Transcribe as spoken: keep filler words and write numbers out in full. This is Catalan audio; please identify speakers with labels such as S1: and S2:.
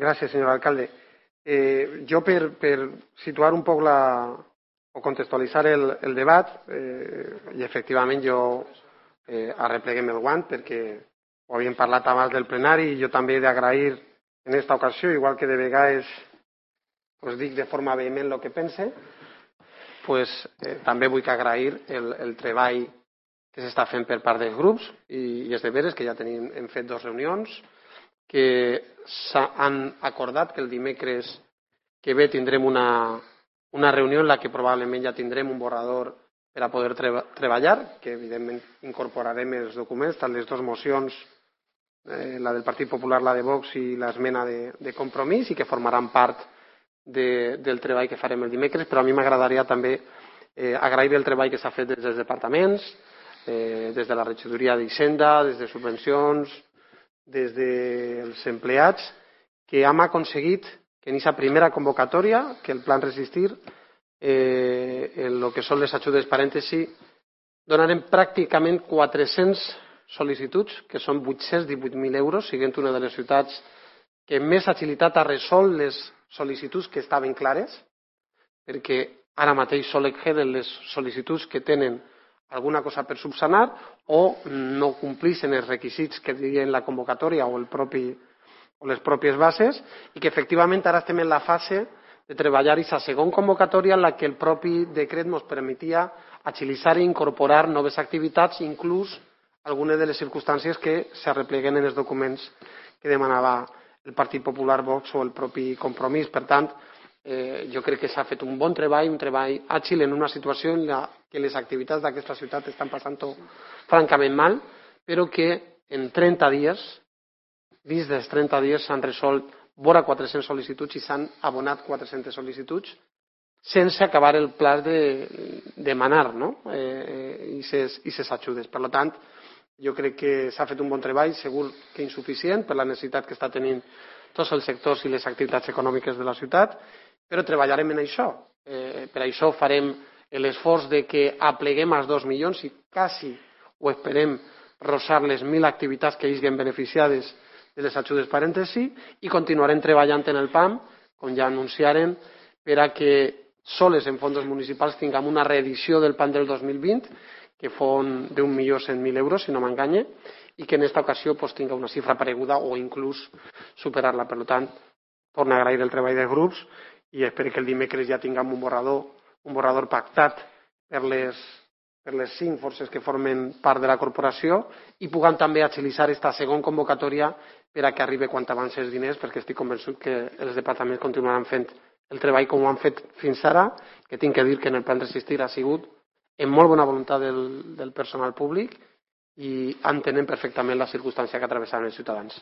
S1: Gràcies, senyor alcalde. Eh, jo, per, per situar un poc la, o contextualitzar el, el debat, eh, i efectivament jo eh, arrepleguem el guant perquè ho havíem parlat abans del plenari i jo també he d'agrair en aquesta ocasió, igual que de vegades pues, dic de forma vehement el que pense, pues, eh, també vull que agrair el, el treball que s'està fent per part dels grups i, i és de veres que ja tenim, hem fet dues reunions, que s'han acordat que el dimecres que ve tindrem una, una reunió en la que probablement ja tindrem un borrador per a poder treba, treballar, que evidentment incorporarem els documents, tant les dues mocions, eh, la del Partit Popular, la de Vox i l'esmena de, de compromís, i que formaran part de, del treball que farem el dimecres, però a mi m'agradaria també eh, agrair el treball que s'ha fet des dels departaments, eh, des de la regidoria d'Hisenda, des de subvencions, des dels empleats, que hem aconseguit que en aquesta primera convocatòria, que el Plan Resistir, eh, en el que són les ajudes parèntesi, donarem pràcticament quatre-centes sol·licituds, que són vuit-cents divuit mil euros, siguent una de les ciutats que més agilitat ha resolt les sol·licituds que estaven clares, perquè ara mateix sols queden les sol·licituds que tenen alguna cosa per subsanar o no complixen els requisits que diuen la convocatòria o, el propi, o les pròpies bases i que efectivament ara estem en la fase de treballar aquesta segona convocatòria en la que el propi decret ens permetia agilitzar i incorporar noves activitats, inclús algunes de les circumstàncies que s'arrepleguen en els documents que demanava el Partit Popular, Vox o el propi Compromís. Per tant, Eh, jo crec que s'ha fet un bon treball, un treball àgil en una situació en la que les activitats d'aquesta ciutat estan passant-ho francament mal, però que en trenta dies, dins dels trenta dies, s'han resolt vora quatre-centes sol·licituds i s'han abonat quatre-centes sol·licituds sense acabar el pla de demanar no? eh, i ses ajudes. Per tant, jo crec que s'ha fet un bon treball, segur que insuficient per la necessitat que està tenint tots els sectors i les activitats econòmiques de la ciutat, però treballarem en això. Eh, per això farem l'esforç de que apleguem els dos milions i quasi ho esperem rosar les mil activitats que hagin beneficiades de les ajudes parèntesi i continuarem treballant en el P A M, com ja anunciarem, per a que soles en fons municipals tinguem una reedició del P A M del dos mil vint, que fon d'un milió cent mil euros, si no m'enganye, i que en aquesta ocasió pues, tinga una xifra pareguda o inclús superar-la. Per tant, torno a agrair el treball dels grups i espero que el dimecres ja tinguem un borrador, un borrador pactat per les, per les cinc forces que formen part de la corporació i puguem també agilitzar aquesta segona convocatòria per a que arribi quant abans els diners, perquè estic convençut que els departaments continuaran fent el treball com ho han fet fins ara, que tinc que dir que en el Plan Resistir ha sigut amb molt bona voluntat del, del personal públic i entenem perfectament la circumstància que travessaven els ciutadans.